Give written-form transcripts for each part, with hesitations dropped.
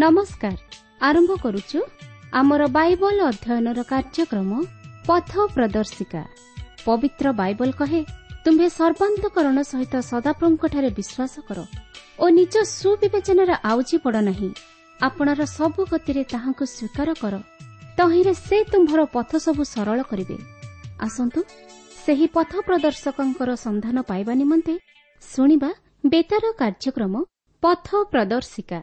ନମସ୍କାର। ଆରମ୍ଭ କରୁଛୁ ଆମର ବାଇବଲ ଅଧ୍ୟୟନର କାର୍ଯ୍ୟକ୍ରମ ପଥ ପ୍ରଦର୍ଶିକା। ପବିତ୍ର ବାଇବଲ କହେ, ତୁମ୍ଭେ ସର୍ବାନ୍ତକରଣ ସହିତ ସଦାପ୍ରଭୁଙ୍କଠାରେ ବିଶ୍ୱାସ କର ଓ ନିଜ ସୁବିବେଚନାରେ ଆଉଜି ପଡ଼ ନାହିଁ। ଆପଣାର ସବୁ ଗତିରେ ତାହାଙ୍କୁ ସ୍ୱୀକାର କର, ତହିଁରେ ସେ ତୁମ୍ଭର ପଥ ସବୁ ସରଳ କରିବେ। ଆସନ୍ତୁ ସେହି ପଥ ପ୍ରଦର୍ଶକଙ୍କର ସନ୍ଧାନ ପାଇବା ନିମନ୍ତେ ଶୁଣିବା ବେତାର କାର୍ଯ୍ୟକ୍ରମ ପଥ ପ୍ରଦର୍ଶିକା।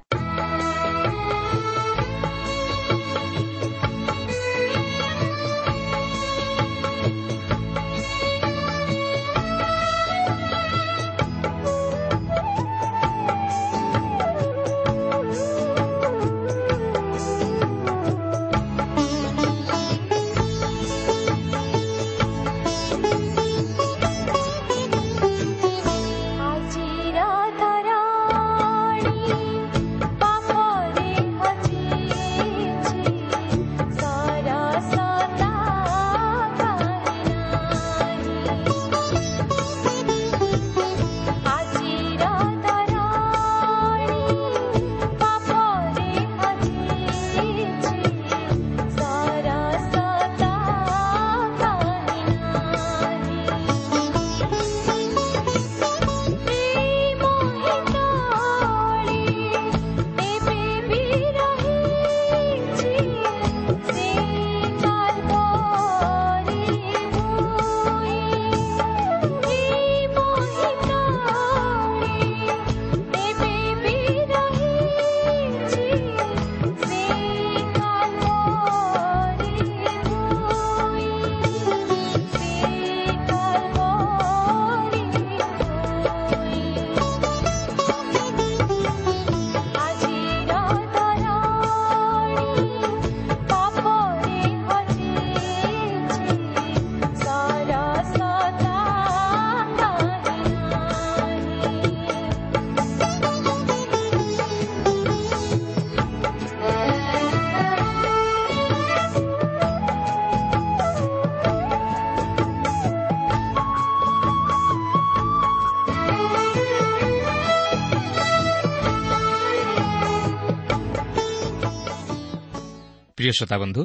ପ୍ରିୟ ଶ୍ରୋତାବନ୍ଧୁ,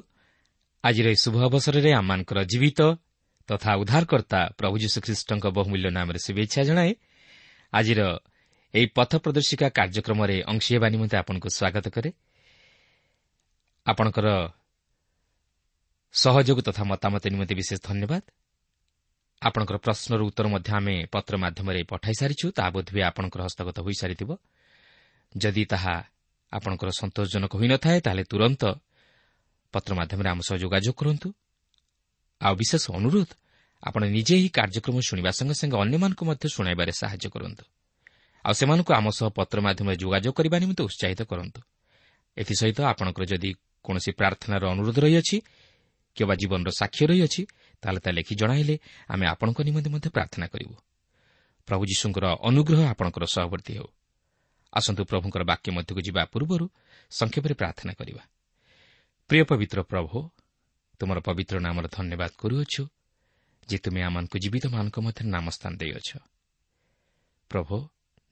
ଆଜିର ଏହି ଶୁଭ ଅବସରରେ ଆମମାନଙ୍କର ଜୀବିତ ତଥା ଉଦ୍ଧାରକର୍ତ୍ତା ପ୍ରଭୁ ଯୀଶୁଖ୍ରୀଷ୍ଟଙ୍କ ବହୁମୂଲ୍ୟ ନାମରେ ଶୁଭେଚ୍ଛା ଜଣାଏ ଆଜିର ଏହି ପଥ ପ୍ରଦର୍ଶିକା କାର୍ଯ୍ୟକ୍ରମରେ ଅଂଶୀ ହେବା ନିମନ୍ତେ ଆପଣଙ୍କୁ ସ୍ୱାଗତ କରେ। ଆପଣଙ୍କର ସହଯୋଗ ତଥା ମତାମତ ନିମନ୍ତେ ବିଶେଷ ଧନ୍ୟବାଦ। ଆପଣଙ୍କର ପ୍ରଶ୍ନର ଉତ୍ତର ମଧ୍ୟ ଆମେ ପତ୍ର ମାଧ୍ୟମରେ ପଠାଇ ସାରିଛୁ, ତାହା ବୋଧହୁଏ ଆପଣଙ୍କର ହସ୍ତଗତ ହୋଇସାରିଥିବ। ଯଦି ତାହା ଆପଣଙ୍କର ସନ୍ତୋଷଜନକ ହୋଇନଥାଏ, ତାହେଲେ ତୁରନ୍ତ ପତ୍ର ମାଧ୍ୟମରେ ଆମ ସହ ଯୋଗାଯୋଗ କରନ୍ତୁ। ଆଉ ବିଶେଷ ଅନୁରୋଧ, ଆପଣ ନିଜେ ଏହି କାର୍ଯ୍ୟକ୍ରମ ଶୁଣିବା ସଙ୍ଗେ ସଙ୍ଗେ ଅନ୍ୟମାନଙ୍କୁ ମଧ୍ୟ ଶୁଣାଇବାରେ ସାହାଯ୍ୟ କରନ୍ତୁ, ଆଉ ସେମାନଙ୍କୁ ଆମ ସହ ପତ୍ର ମାଧ୍ୟମରେ ଯୋଗାଯୋଗ କରିବା ନିମନ୍ତେ ଉତ୍ସାହିତ କରନ୍ତୁ। ଏଥିସହିତ ଆପଣଙ୍କର ଯଦି କୌଣସି ପ୍ରାର୍ଥନାର ଅନୁରୋଧ ରହିଅଛି କିମ୍ବା ଜୀବନର ସାକ୍ଷ୍ୟ ରହିଅଛି, ତାହେଲେ ତା ଲେଖି ଜଣାଇଲେ ଆମେ ଆପଣଙ୍କ ନିମନ୍ତେ ମଧ୍ୟ ପ୍ରାର୍ଥନା କରିବୁ। ପ୍ରଭୁ ଯୀଶୁଙ୍କର ଅନୁଗ୍ରହ ଆପଣଙ୍କର ସହବର୍ତ୍ତୀ ହେଉ। ଆସନ୍ତୁ ପ୍ରଭୁଙ୍କର ବାକ୍ୟ ମଧ୍ୟକୁ ଯିବା ପୂର୍ବରୁ ସଂକ୍ଷେପରେ ପ୍ରାର୍ଥନା କରିବା। ପ୍ରିୟ ପବିତ୍ର ପ୍ରଭୁ, ତୁମର ପବିତ୍ର ନାମର ଧନ୍ୟବାଦ କରୁଅଛୁ ଯେ ତୁମେ ଆମମାନଙ୍କୁ ଜୀବିତମାନଙ୍କ ମଧ୍ୟରେ ନାମ ସ୍ଥାନ ଦେଇଅଛ। ପ୍ରଭୁ,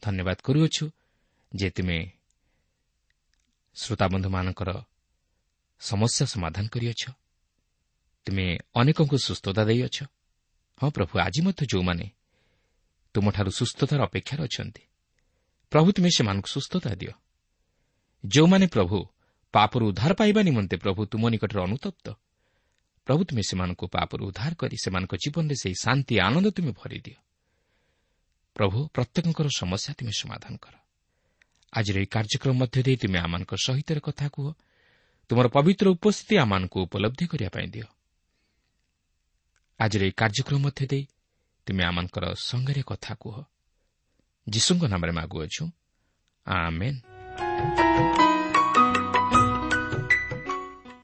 ଧନ୍ୟବାଦ କରୁଅଛୁ ଯେ ତୁମେ ଶ୍ରୋତାବନ୍ଧୁମାନଙ୍କର ସମସ୍ୟା ସମାଧାନ କରିଅଛ, ତୁମେ ଅନେକଙ୍କୁ ସୁସ୍ଥତା ଦେଇଅଛ। ହଁ ପ୍ରଭୁ, ଆଜି ମଧ୍ୟ ଯେଉଁମାନେ ତୁମଠାରୁ ସୁସ୍ଥତାର ଅପେକ୍ଷାରେ ଅଛନ୍ତି, ପ୍ରଭୁ ତୁମେ ସେମାନଙ୍କୁ ସୁସ୍ଥତା ଦିଅ। ଯେଉଁମାନେ ପ୍ରଭୁ ପାପରୁ ଉଦ୍ଧାର ପାଇବା ନିମନ୍ତେ ପ୍ରଭୁ ତୁମ ନିକଟରେ ଅନୁତପ୍ତ, ପ୍ରଭୁ ତୁମେ ସେମାନଙ୍କୁ ପାପରୁ ଉଦ୍ଧାର କରି ସେମାନଙ୍କ ଜୀବନରେ ସେହି ଶାନ୍ତି ଆନନ୍ଦ ତୁମେ ଭରିଦିଅ। ପ୍ରଭୁ, ପ୍ରତ୍ୟେକଙ୍କର ସମସ୍ୟା ତୁମେ ସମାଧାନ କର। ଆଜିର ଏହି କାର୍ଯ୍ୟକ୍ରମ ମଧ୍ୟ ଦେଇ ତୁମେ ଆମମାନଙ୍କ ସହିତ କଥା କୁହ, ତୁମର ପବିତ୍ର ଉପସ୍ଥିତି ଆମମାନଙ୍କୁ ଉପଲବ୍ଧି କରିବା ପାଇଁ ଦିଅ। ଆଜିର ଏହି କାର୍ଯ୍ୟକ୍ରମ ମଧ୍ୟ ଦେଇ ତୁମେ ଆମମାନଙ୍କର ସଙ୍ଗରେ କଥା କୁହ। ଯୀଶୁଙ୍କ ନାମରେ ମାଗୁଅଛୁ, ଆମେନ୍।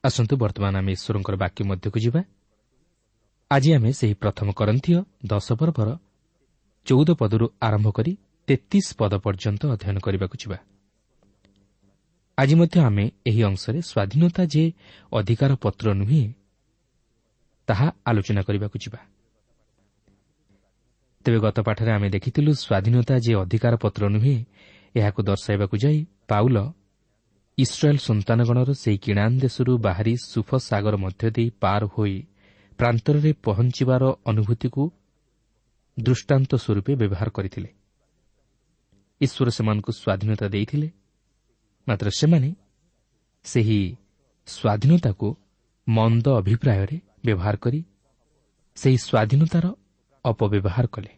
ଆସନ୍ତୁ ବର୍ତ୍ତମାନ ଆମେ ଈଶ୍ୱରଙ୍କର ବାକ୍ୟ ମଧ୍ୟକୁ ଯିବା। ଆଜି ଆମେ ସେହି ପ୍ରଥମ କରନ୍ଥୀୟ 10 ପର୍ବର 14 ପଦରୁ ଆରମ୍ଭ କରି 33 ପଦ ପର୍ଯ୍ୟନ୍ତ ଅଧ୍ୟୟନ କରିବାକୁ ଯିବା। ଆଜି ମଧ୍ୟ ଆମେ ଏହି ଅଂଶରେ ସ୍ୱାଧୀନତା ଯେ ଅଧିକାର ପତ୍ର ନୁହେଁ ତାହା ଆଲୋଚନା କରିବାକୁ ଯିବା। ତେବେ ଗତ ପାଠରେ ଆମେ ଦେଖିଥିଲୁ ସ୍ୱାଧୀନତା ଯେ ଅଧିକାର ପତ୍ର ନୁହେଁ, ଏହାକୁ ଦର୍ଶାଇବାକୁ ଯାଇ ପାଉଲ ଇସ୍ରାଏଲ୍ ସନ୍ତାନଗଣର ସେହି କିଣାନ ଦେଶରୁ ବାହାରି ସୁଫ ସାଗର ମଧ୍ୟ ଦେଇ ପାର ହୋଇ ପ୍ରାନ୍ତରରେ ପହଞ୍ଚିବାର ଅନୁଭୂତିକୁ ଦୃଷ୍ଟାନ୍ତ ସ୍ୱରୂପେ ବ୍ୟବହାର କରିଥିଲେ। ଈଶ୍ୱର ସେମାନଙ୍କୁ ସ୍ୱାଧୀନତା ଦେଇଥିଲେ, ମାତ୍ର ସେମାନେ ସେହି ସ୍ୱାଧୀନତାକୁ ମନ୍ଦ ଅଭିପ୍ରାୟରେ ବ୍ୟବହାର କରି ସେହି ସ୍ୱାଧୀନତାର ଅପବ୍ୟବହାର କଲେ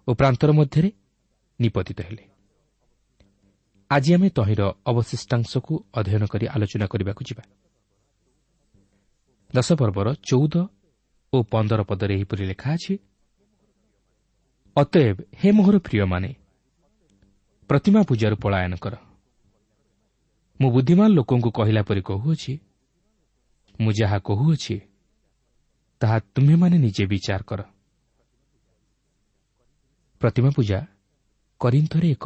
ଓ ପ୍ରାନ୍ତର ମଧ୍ୟରେ ନିପତିତ ହେଲେ। ଆଜି ଆମେ ତହିଁର ଅବଶିଷ୍ଟାଂଶକୁ ଅଧ୍ୟୟନ କରି ଆଲୋଚନା କରିବାକୁ ଯିବା। 10 ପର୍ବର 14 ଓ 15 ପଦରେ ଏହିପରି ଲେଖା ଅଛି, ଅତଏବ ହେ ମୋହର ପ୍ରିୟମାନେ, ପ୍ରତିମା ପୂଜାରୁ ପଳାୟନ କର। ମୁଁ ବୁଦ୍ଧିମାନ ଲୋକଙ୍କୁ କହିଲା ପରି କହୁଅଛି, ମୁଁ ଯାହା କହୁଅଛି ତାହା ତୁମ୍ଭେମାନେ ନିଜେ ବିଚାର କର। ପ୍ରତିମା ପୂଜା କରିନ୍ଥରେ ଏକ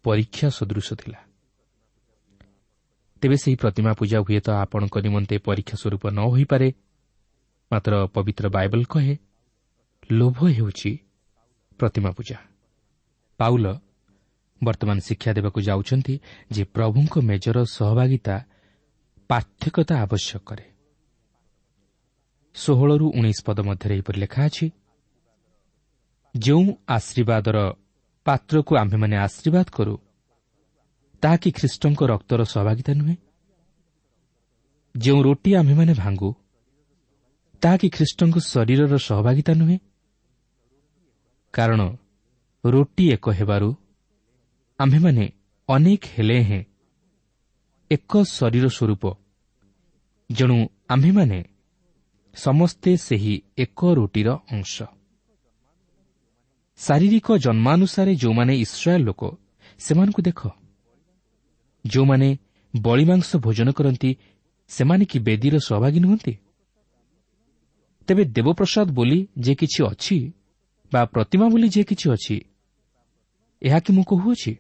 ପରୀକ୍ଷା ସଦୃଶ ଥିଲା। ତେବେ ସେହି ପ୍ରତିମା ପୂଜା ହୁଏତ ଆପଣଙ୍କ ନିମନ୍ତେ ପରୀକ୍ଷା ସ୍ୱରୂପ ନ ହୋଇପାରେ, ମାତ୍ର ପବିତ୍ର ବାଇବଲ କହେ ଲୋଭ ହେଉଛି ପ୍ରତିମା ପୂଜା। ପାଉଲ ବର୍ତ୍ତମାନ ଶିକ୍ଷା ଦେବାକୁ ଯାଉଛନ୍ତି ଯେ ପ୍ରଭୁଙ୍କ ମେଜର ସହଭାଗିତା ପାର୍ଥକ୍ୟତା ଆବଶ୍ୟକ କରେ। 16ରୁ 19 ପଦ ମଧ୍ୟରେ ଏହିପରି ଲେଖା ଅଛି, ଯେଉଁ ଆଶୀର୍ବାଦର ପାତ୍ରକୁ ଆମ୍ଭେମାନେ ଆଶୀର୍ବାଦ କରୁ, ତାହା କି ଖ୍ରୀଷ୍ଟଙ୍କ ରକ୍ତର ସହଭାଗିତା ନୁହେଁ? ଯେଉଁ ରୋଟି ଆମ୍ଭେମାନେ ଭାଙ୍ଗୁ, ତାହା କି ଖ୍ରୀଷ୍ଟଙ୍କ ଶରୀରର ସହଭାଗିତା ନୁହେଁ? କାରଣ ରୋଟି ଏକ ହେବାରୁ ଆମ୍ଭେମାନେ ଅନେକ ହେଲେ ହେଁ ଏକ ଶରୀର ସ୍ୱରୂପ, ଯେଣୁ ଆମ୍ଭେମାନେ ସମସ୍ତେ ସେହି ଏକ ରୋଟିର ଅଂଶ। ଶାରୀରିକ ଜନ୍ମାନୁସାରେ ଯେଉଁମାନେ ଇସ୍ରାଏଲ ଲୋକ, ସେମାନଙ୍କୁ ଦେଖ। ଯେଉଁମାନେ ବଳିମାଂସ ଭୋଜନ କରନ୍ତି, ସେମାନେ କି ବେଦୀର ସହଭାଗୀ ନୁହନ୍ତି? ତେବେ ଦେବପ୍ରସାଦ ବୋଲି ଯେ କିଛି ଅଛି ବା ପ୍ରତିମା ବୋଲି ଯେ କିଛି ଅଛି, ଏହା କି ମୁଁ କହୁଅଛି?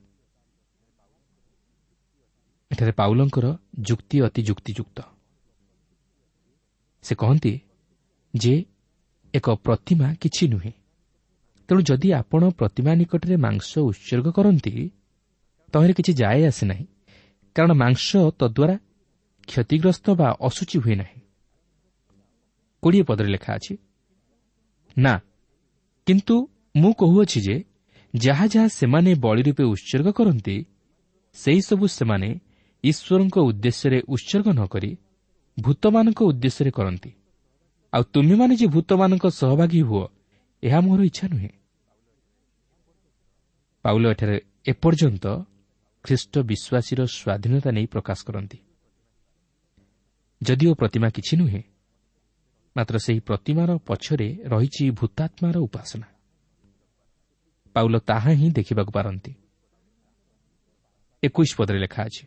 ଏଠାରେ ପାଉଲଙ୍କର ଯୁକ୍ତି ଅତି ଯୁକ୍ତିଯୁକ୍ତ। ସେ କହନ୍ତି ଯେ ଏକ ପ୍ରତିମା କିଛି ନୁହେଁ, ତେଣୁ ଯଦି ଆପଣ ପ୍ରତିମା ନିକଟରେ ମାଂସ ଉତ୍ସର୍ଗ କରନ୍ତି, ତହିଁରେ କିଛି ଯାଏ ଆସେ ନାହିଁ, କାରଣ ମାଂସ ତଦ୍ୱାରା କ୍ଷତିଗ୍ରସ୍ତ ବା ଅଶୁଚି ହୁଏ ନାହିଁ। 20 ପଦରେ ଲେଖା ଅଛି, ନା, କିନ୍ତୁ ମୁଁ କହୁଅଛି ଯେ ଯାହା ଯାହା ସେମାନେ ବଳି ରୂପେ ଉତ୍ସର୍ଗ କରନ୍ତି, ସେହିସବୁ ସେମାନେ ଈଶ୍ୱରଙ୍କ ଉଦ୍ଦେଶ୍ୟରେ ଉତ୍ସର୍ଗ ନ କରି ଭୂତମାନଙ୍କ ଉଦ୍ଦେଶ୍ୟରେ କରନ୍ତି। ଆଉ ତୁମେମାନେ ଯେ ଭୂତମାନଙ୍କ ସହଭାଗୀ ହୁଅ, ଏହା ମୋର ଇଚ୍ଛା ନୁହେଁ। ପାଉଲ ଏଠାରେ ଏପର୍ଯ୍ୟନ୍ତ ଖ୍ରୀଷ୍ଟ ବିଶ୍ୱାସୀର ସ୍ୱାଧୀନତା ନେଇ ପ୍ରକାଶ କରନ୍ତି। ଯଦିଓ ପ୍ରତିମା କିଛି ନୁହେଁ, ମାତ୍ର ସେହି ପ୍ରତିମାର ପଛରେ ରହିଛି ଭୂତାତ୍ମାର ଉପାସନା। ପାଉଲ ତାହା ହିଁ ଦେଖିବାକୁ ପାରନ୍ତି। 21 ପଦରେ ଲେଖା ଅଛି,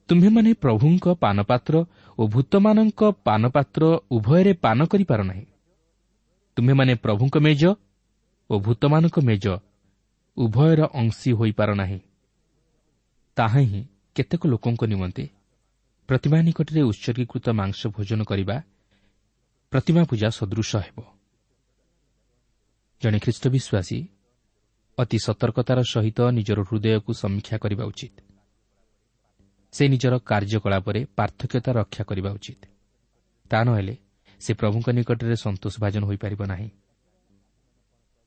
ତୁମ୍ଭେମାନେ ପ୍ରଭୁଙ୍କ ପାନପାତ୍ର ଓ ଭୂତମାନଙ୍କ ପାନପାତ୍ର ଉଭୟରେ ପାନ କରିପାର ନାହିଁ। ତୁମ୍ଭେମାନେ ପ୍ରଭୁଙ୍କ ମେଜ ଓ ଭୂତମାନଙ୍କ ମେଜ ଉଭୟର ଅଂଶୀ ହୋଇପାର ନାହିଁ। ତାହା ହିଁ କେତେକ ଲୋକଙ୍କ ନିମନ୍ତେ ପ୍ରତିମା ନିକଟରେ ଉତ୍ସର୍ଗୀକୃତ ମାଂସ ଭୋଜନ କରିବା ପ୍ରତିମା ପୂଜା ସଦୃଶ ହେବ। ଜଣେ ଖ୍ରୀଷ୍ଟ ବିଶ୍ୱାସୀ ଅତି ସତର୍କତାର ସହିତ ନିଜର ହୃଦୟକୁ ସମୀକ୍ଷା କରିବା ଉଚିତ। ସେ ନିଜର କାର୍ଯ୍ୟକଳାପରେ ପାର୍ଥକ୍ୟତା ରକ୍ଷା କରିବା ଉଚିତ। ତା ନହେଲେ ସେ ପ୍ରଭୁଙ୍କ ନିକଟରେ ସନ୍ତୋଷଭାଜନ ହୋଇପାରିବ ନାହିଁ।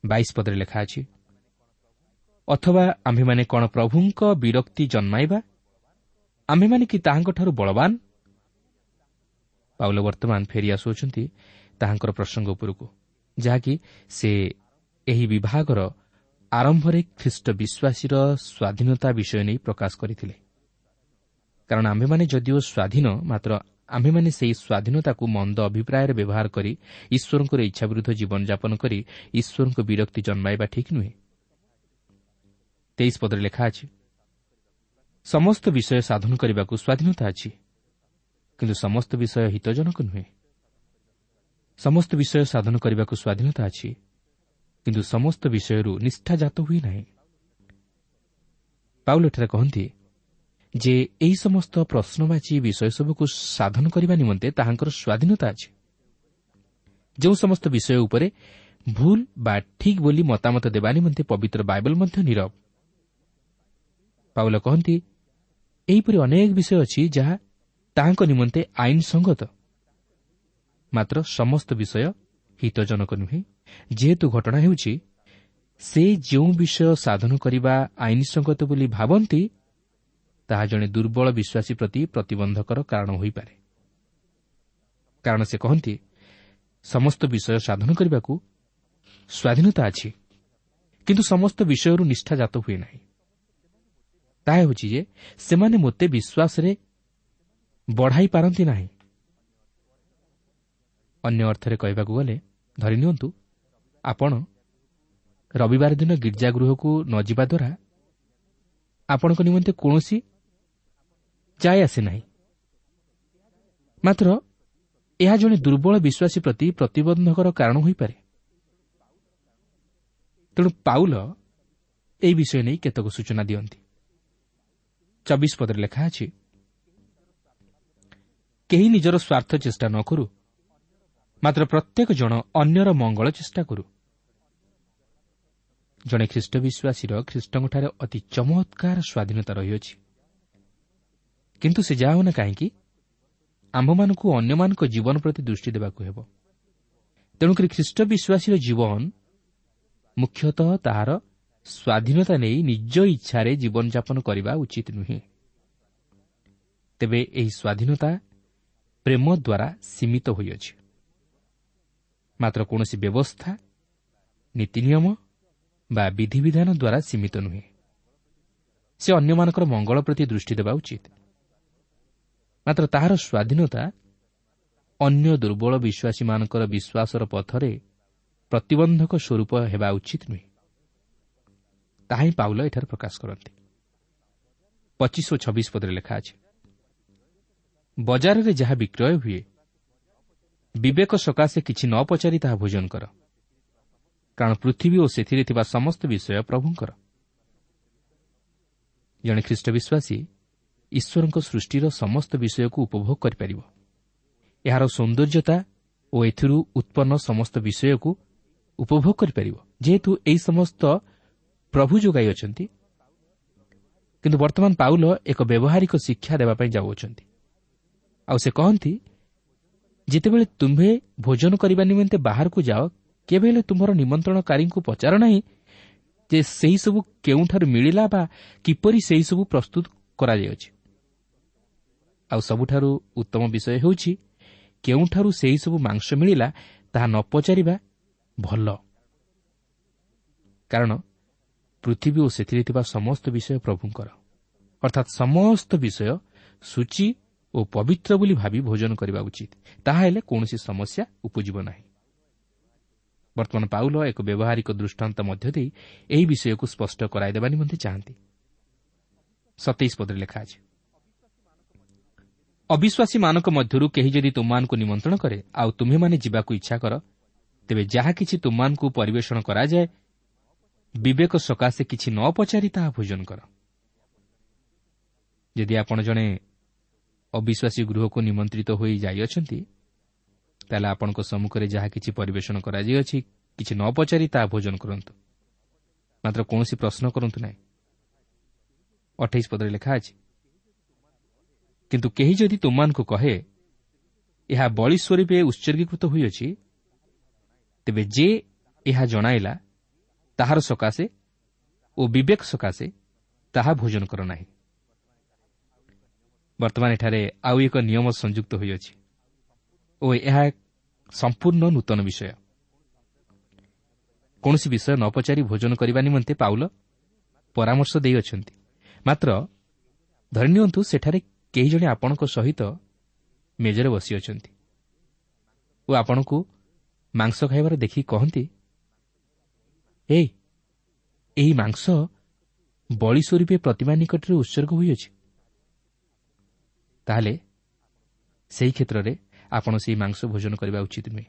22 ପଦରେ ଲେଖା ଅଛି, ଅଥବା ଆମ୍ଭେମାନେ କ'ଣ ପ୍ରଭୁଙ୍କ ବିରକ୍ତି ଜନ୍ମାଇବା? ଆମ୍ଭେମାନେ କି ତାହାଙ୍କଠାରୁ ବଳବାନ? ପାଉଲ ବର୍ତ୍ତମାନ ଫେରି ଆସୁଅଛନ୍ତି ତାହାଙ୍କର ପ୍ରସଙ୍ଗ ଉପରକୁ, ଯାହାକି ସେ ଏହି ବିଭାଗର ଆରମ୍ଭରେ ଖ୍ରୀଷ୍ଟ ବିଶ୍ୱାସୀର ସ୍ୱାଧୀନତା ବିଷୟ ନେଇ ପ୍ରକାଶ କରିଥିଲେ। କାରଣ ଆମ୍ଭେମାନେ ଯଦିଓ ସ୍ୱାଧୀନ, ମାତ୍ର ଆମ୍ଭେମାନେ ସେହି ସ୍ୱାଧୀନତାକୁ ମନ୍ଦ ଅଭିପ୍ରାୟରେ ବ୍ୟବହାର କରି ଈଶ୍ୱରଙ୍କର ଇଚ୍ଛା ବିରୁଦ୍ଧ ଜୀବନଯାପନ କରି ଈଶ୍ୱରଙ୍କ ବିରକ୍ତି ଜନ୍ମାଇବା ଠିକ୍ ନୁହେଁ। 23 ପଦରେ ଲେଖା ଅଛି, ସମସ୍ତ ବିଷୟ ସାଧନ କରିବାକୁ ସ୍ୱାଧୀନତା ଅଛି, କିନ୍ତୁ ସମସ୍ତ ବିଷୟ ହିତଜନକ ନୁହେଁ। ସମସ୍ତ ବିଷୟ ସାଧନ କରିବାକୁ ସ୍ୱାଧୀନତା ଅଛି, କିନ୍ତୁ ସମସ୍ତ ବିଷୟରୁ ନିଷ୍ଠାଜାତ ହୁଏ ନାହିଁ। ପାଉଲ ଏଠାରେ କହନ୍ତି ଯେ ଏହି ସମସ୍ତ ପ୍ରଶ୍ନବାଚୀ ବିଷୟସବୁକୁ ସାଧନ କରିବା ନିମନ୍ତେ ତାହାଙ୍କର ସ୍ୱାଧୀନତା ଅଛି। ଯେଉଁ ସମସ୍ତ ବିଷୟ ଉପରେ ଭୁଲ ବା ଠିକ୍ ବୋଲି ମତାମତ ଦେବା ନିମନ୍ତେ ପବିତ୍ର ବାଇବଲ ମଧ୍ୟ ନୀରବ। ପାଉଲ କହନ୍ତି ଏହିପରି ଅନେକ ବିଷୟ ଅଛି ଯାହା ତାହାଙ୍କ ନିମନ୍ତେ ଆଇନ ସଙ୍ଗତ, ମାତ୍ର ସମସ୍ତ ବିଷୟ ହିତଜନକ ନୁହେଁ। ଯେହେତୁ ଘଟଣା ହେଉଛି ସେ ଯେଉଁ ବିଷୟ ସାଧନ କରିବା ଆଇନସଙ୍ଗତ ବୋଲି ଭାବନ୍ତି, ତାହା ଜଣେ ଦୁର୍ବଳ ବିଶ୍ୱାସୀ ପ୍ରତି ପ୍ରତିବନ୍ଧକର କାରଣ ହୋଇପାରେ। କାରଣ ସେ କହନ୍ତି, ସମସ୍ତ ବିଷୟ ସାଧନ କରିବାକୁ ସ୍ୱାଧୀନତା ଅଛି, କିନ୍ତୁ ସମସ୍ତ ବିଷୟରୁ ନିଷ୍ଠା ଜାତ ହୁଏ ନାହିଁ। ତାହା ହେଉଛି ଯେ ସେମାନେ ମୋତେ ବିଶ୍ୱାସରେ ବଢ଼ାଇ ପାରନ୍ତି ନାହିଁ। ଅନ୍ୟ ଅର୍ଥରେ କହିବାକୁ ଗଲେ, ଧରିନିଅନ୍ତୁ ଆପଣ ରବିବାର ଦିନ ଗିର୍ଜାଗୃହକୁ ନ ଯିବା ଦ୍ୱାରା ଆପଣଙ୍କ ନିମନ୍ତେ କୌଣସି ଯାଏ ଆସେ ନାହିଁ, ମାତ୍ର ଏହା ଜଣେ ଦୁର୍ବଳ ବିଶ୍ୱାସୀ ପ୍ରତି ପ୍ରତିବନ୍ଧକର କାରଣ ହୋଇପାରେ। ତେଣୁ ପାଉଲ ଏହି ବିଷୟ ନେଇ କେତେକ ସୂଚନା ଦିଅନ୍ତି। 24 ପଦରେ ଲେଖା ଅଛି, କେହି ନିଜର ସ୍ୱାର୍ଥ ଚେଷ୍ଟା ନ କରୁ, ମାତ୍ର ପ୍ରତ୍ୟେକ ଜଣ ଅନ୍ୟର ମଙ୍ଗଳ ଚେଷ୍ଟା କରୁ। ଜଣେ ଖ୍ରୀଷ୍ଟ ବିଶ୍ୱାସୀର ଖ୍ରୀଷ୍ଟଙ୍କଠାରେ ଅତି ଚମତ୍କାର ସ୍ୱାଧୀନତା ରହିଅଛି, କିନ୍ତୁ ସେ ଯାହା ହେଉନା କାହିଁକି ଆମ୍ଭମାନଙ୍କୁ ଅନ୍ୟମାନଙ୍କ ଜୀବନ ପ୍ରତି ଦୃଷ୍ଟି ଦେବାକୁ ହେବ। ତେଣୁକରି ଖ୍ରୀଷ୍ଟ ବିଶ୍ୱାସୀର ଜୀବନ ମୁଖ୍ୟତଃ ତାହାର ସ୍ୱାଧୀନତା ନେଇ ନିଜ ଇଚ୍ଛାରେ ଜୀବନଯାପନ କରିବା ଉଚିତ ନୁହେଁ। ତେବେ ଏହି ସ୍ୱାଧୀନତା ପ୍ରେମ ଦ୍ୱାରା ସୀମିତ ହୋଇଅଛି, ମାତ୍ର କୌଣସି ବ୍ୟବସ୍ଥା, ନୀତିନିୟମ ବା ବିଧିବିଧାନ ଦ୍ୱାରା ସୀମିତ ନୁହେଁ। ସେ ଅନ୍ୟମାନଙ୍କର ମଙ୍ଗଳ ପ୍ରତି ଦୃଷ୍ଟି ଦେବା ଉଚିତ, ମାତ୍ର ତାହାର ସ୍ୱାଧୀନତା ଅନ୍ୟ ଦୁର୍ବଳ ବିଶ୍ୱାସୀମାନଙ୍କର ବିଶ୍ୱାସର ପଥରେ ପ୍ରତିବନ୍ଧକ ସ୍ୱରୂପ ହେବା ଉଚିତ ନୁହେଁ। ତାହା ହିଁ ପାଉଲ ଏଠାରେ ପ୍ରକାଶ କରନ୍ତି। 25 ଓ 26 ପଦରେ ଲେଖା ଅଛି, ବଜାରରେ ଯାହା ବିକ୍ରୟ ହୁଏ, ବିବେକ ସକାଶେ କିଛି ନ ପଚାରି ତାହା ଭୋଜନ କର, କାରଣ ପୃଥିବୀ ଓ ସେଥିରେ ଥିବା ସମସ୍ତ ବିଷୟ ପ୍ରଭୁଙ୍କର। ଜଣେ ଖ୍ରୀଷ୍ଟ ବିଶ୍ୱାସୀ ଈଶ୍ୱରଙ୍କ ସୃଷ୍ଟିର ସମସ୍ତ ବିଷୟକୁ ଉପଭୋଗ କରିପାରିବ। ଏହାର ସୌନ୍ଦର୍ଯ୍ୟତା ଓ ଏଥିରୁ ଉତ୍ପନ୍ନ ସମସ୍ତ ବିଷୟକୁ ଉପଭୋଗ କରିପାରିବ, ଯେହେତୁ ଏହି ସମସ୍ତ ପ୍ରଭୁ ଯୋଗାଇ ଅଛନ୍ତି। କିନ୍ତୁ ବର୍ତ୍ତମାନ ପାଉଲ ଏକ ବ୍ୟବହାରିକ ଶିକ୍ଷା ଦେବା ପାଇଁ ଯାଉଅଛନ୍ତି। ଆଉ ସେ କହନ୍ତି, ଯେତେବେଳେ ତୁମ୍ଭେ ଭୋଜନ କରିବା ନିମନ୍ତେ ବାହାରକୁ ଯାଅ, କେବେ ହେଲେ ତୁମ୍ଭର ନିମନ୍ତ୍ରଣକାରୀଙ୍କୁ ପଚାର ନାହିଁ ଯେ ସେହିସବୁ କେଉଁଠାରୁ ମିଳିଲା ବା କିପରି ସେହିସବୁ ପ୍ରସ୍ତୁତ କରାଯାଇଅଛି। ଆଉ ସବୁଠାରୁ ଉତ୍ତମ ବିଷୟ ହେଉଛି, କେଉଁଠାରୁ ସେହିସବୁ ମାଂସ ମିଳିଲା ତାହା ନ ପଚାରିବା ଭଲ, କାରଣ ପୃଥିବୀ ଓ ସେଥିରେ ଥିବା ସମସ୍ତ ବିଷୟ ପ୍ରଭୁଙ୍କର। ଅର୍ଥାତ୍ ସମସ୍ତ ବିଷୟ ସୂଚି ଓ ପବିତ୍ର ବୋଲି ଭାବି ଭୋଜନ କରିବା ଉଚିତ, ତାହାହେଲେ କୌଣସି ସମସ୍ୟା ଉପୁଜିବ ନାହିଁ। ବର୍ତ୍ତମାନ ପାଉଲ ଏକ ବ୍ୟବହାରିକ ଦୃଷ୍ଟାନ୍ତ ମଧ୍ୟ ଦେଇ ଏହି ବିଷୟକୁ ସ୍ପଷ୍ଟ କରାଇଦେବା ନିମନ୍ତେ ଚାହାନ୍ତି। 27 ପଦରେ ଲେଖା ଅଛି, ଅବିଶ୍ୱାସୀମାନଙ୍କ ମଧ୍ୟରୁ କେହି ଯଦି ତୁମମାନଙ୍କୁ ନିମନ୍ତ୍ରଣ କରେ, ଆଉ ତୁମ୍ଭେମାନେ ଯିବାକୁ ଇଚ୍ଛା କର, ତେବେ ଯାହା କିଛି ତୁମମାନଙ୍କୁ ପରିବେଷଣ କରାଯାଏ, ବିବେକ ସକାଶେ କିଛି ନ ପଚାରି ତାହା ଭୋଜନ କର। ଯଦି ଆପଣ ଜଣେ ଅବିଶ୍ୱାସୀ ଗୃହକୁ ନିମନ୍ତ୍ରିତ ହୋଇ ଯାଇଅଛନ୍ତି, ତାହେଲେ ଆପଣଙ୍କ ସମ୍ମୁଖରେ ଯାହା କିଛି ପରିବେଷଣ କରାଯାଇଅଛି, କିଛି ନ ପଚାରି ତାହା ଭୋଜନ କରନ୍ତୁ, ମାତ୍ର କୌଣସି ପ୍ରଶ୍ନ କରନ୍ତୁ ନାହିଁ। 28 ପଦରେ ଲେଖା ଅଛି, କିନ୍ତୁ କେହି ଯଦି ତୁମମାନଙ୍କୁ କହେ, ଏହା ବଳି ସ୍ୱରୂପେ ଉତ୍ସର୍ଗୀକୃତ ହୋଇଅଛି, ତେବେ ଯେ ଏହା ଜଣାଇଲା ତାହାର ସକାଶେ ଓ ବିବେକ ସକାଶେ ତାହା ଭୋଜନ କର ନାହିଁ। ବର୍ତ୍ତମାନ ଏଠାରେ ଆଉ ଏକ ନିୟମ ସଂଯୁକ୍ତ ହୋଇଅଛି ଓ ଏହା ସମ୍ପୂର୍ଣ୍ଣ ନୂତନ ବିଷୟ। କୌଣସି ବିଷୟ ନ ପଚାରି ଭୋଜନ କରିବା ନିମନ୍ତେ ପାଉଲ ପରାମର୍ଶ ଦେଇଅଛନ୍ତି, ମାତ୍ର ଧରିନିଅନ୍ତୁ ସେଠାରେ କେହି ଜଣେ ଆପଣଙ୍କ ସହିତ ମେଜରେ ବସିଅଛନ୍ତି ଓ ଆପଣଙ୍କୁ ମାଂସ ଖାଇବାର ଦେଖି କହନ୍ତି, ଏହି ମାଂସ ବଳି ସ୍ୱରୂପେ ପ୍ରତିମା ନିକଟରେ ଉତ୍ସର୍ଗ ହୋଇଅଛି, ତାହେଲେ ସେହି କ୍ଷେତ୍ରରେ ଆପଣ ସେହି ମାଂସ ଭୋଜନ କରିବା ଉଚିତ ନୁହେଁ।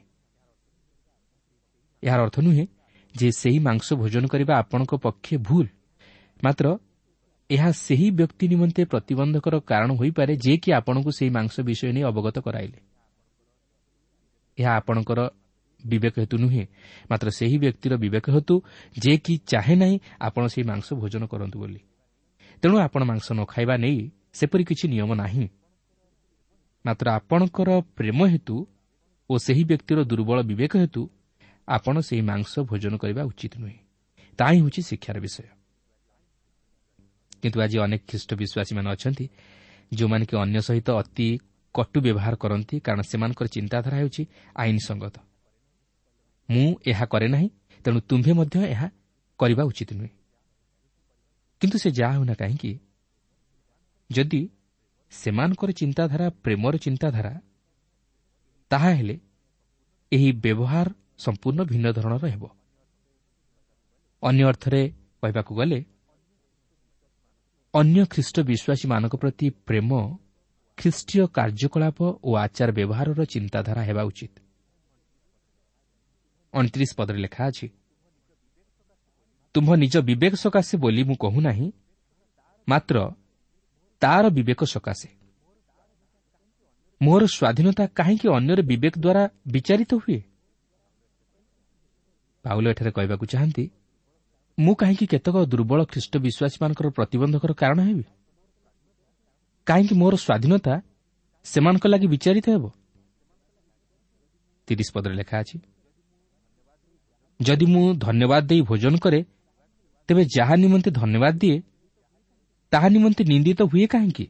ଏହାର ଅର୍ଥ ନୁହେଁ ଯେ ସେହି ମାଂସ ଭୋଜନ କରିବା ଆପଣଙ୍କ ପକ୍ଷେ ଭୁଲ, ମାତ୍ର ଏହା ସେହି ବ୍ୟକ୍ତି ନିମନ୍ତେ ପ୍ରତିବନ୍ଧକର କାରଣ ହୋଇପାରେ ଯିଏକି ଆପଣଙ୍କୁ ସେହି ମାଂସ ବିଷୟ ନେଇ ଅବଗତ କରାଇଲେ। ଏହା ଆପଣଙ୍କର ବିବେକ ହେତୁ ନୁହେଁ, ମାତ୍ର ସେହି ବ୍ୟକ୍ତିର ବିବେକ ହେତୁ ଯିଏକି ଚାହେଁ ନାହିଁ ଆପଣ ସେହି ମାଂସ ଭୋଜନ କରନ୍ତୁ ବୋଲି। ତେଣୁ ଆପଣ ମାଂସ ନ ଖାଇବା ନେଇ ସେପରି କିଛି ନିୟମ ନାହିଁ। ମାତ୍ର ଆପଣଙ୍କର ପ୍ରେମ ହେତୁ ଓ ସେହି ବ୍ୟକ୍ତିର ଦୁର୍ବଳ ବିବେକ ହେତୁ ଆପଣ ସେହି ମାଂସ ଭୋଜନ କରିବା ଉଚିତ ନୁହେଁ। ତାହା ହିଁ ହେଉଛି ଶିକ୍ଷାର ବିଷୟ। କିନ୍ତୁ ଆଜି ଅନେକ ଖ୍ରୀଷ୍ଟ ବିଶ୍ୱାସୀମାନେ ଅଛନ୍ତି ଯେଉଁମାନେ କି ଅନ୍ୟ ସହିତ ଅତି କଟୁ ବ୍ୟବହାର କରନ୍ତି, କାରଣ ସେମାନଙ୍କର ଚିନ୍ତାଧାରା ହେଉଛି ଆଇନସଙ୍ଗତ। ମୁଁ ଏହା କରେ ନାହିଁ, ତେଣୁ ତୁମ୍ଭେ ମଧ୍ୟ ଏହା କରିବା ଉଚିତ ନୁହେଁ। କିନ୍ତୁ ସେ ଯାହା ହେଉନା କାହିଁକି, ଯଦି ସେମାନଙ୍କର ଚିନ୍ତାଧାରା ପ୍ରେମର ଚିନ୍ତାଧାରା, ତାହା ହେଲେ ଏହି ବ୍ୟବହାର ସମ୍ପୂର୍ଣ୍ଣ ଭିନ୍ନ ଧରଣର ହେବ। ଅନ୍ୟ ଅର୍ଥରେ କହିବାକୁ ଗଲେ, ଅନ୍ୟ ଖ୍ରୀଷ୍ଟ ବିଶ୍ୱାସୀମାନଙ୍କ ପ୍ରତି ପ୍ରେମ ଖ୍ରୀଷ୍ଟୀୟ କାର୍ଯ୍ୟକଳାପ ଓ ଆଚାର ବ୍ୟବହାରର ଚିନ୍ତାଧାରା ହେବା ଉଚିତ। 29 ପଦରେ ଲେଖା ଅଛି, ତୁମ୍ଭ ନିଜ ବିବେକ ସକାଶେ ବୋଲି ମୁଁ କହୁନାହିଁ, ମାତ୍ର ତାର ବିବେକ ସକାଶେ। ମୋର ସ୍ୱାଧୀନତା କାହିଁକି ଅନ୍ୟର ବିବେକ ଦ୍ୱାରା ବିଚାରିତ ହୁଏ? ପାଉଲ ଏଠାରେ କହିବାକୁ ଚାହାନ୍ତି, ମୁଁ କାହିଁକି କେତେକ ଦୁର୍ବଳ ଖ୍ରୀଷ୍ଟ ବିଶ୍ୱାସୀମାନଙ୍କର ପ୍ରତିବନ୍ଧକର କାରଣ ହେବି? କାହିଁକି ମୋର ସ୍ୱାଧୀନତା ସେମାନଙ୍କ ଲାଗି ବିଚାରିତ ହେବ? 30 ପଦରେ ଲେଖା ଅଛି, ଯଦି ମୁଁ ଧନ୍ୟବାଦ ଦେଇ ଭୋଜନ କରେ, ତେବେ ଯାହା ନିମନ୍ତେ ଧନ୍ୟବାଦ ଦିଏ ତାହା ନିମନ୍ତେ ନିନ୍ଦିତ ହୁଏ କାହିଁକି?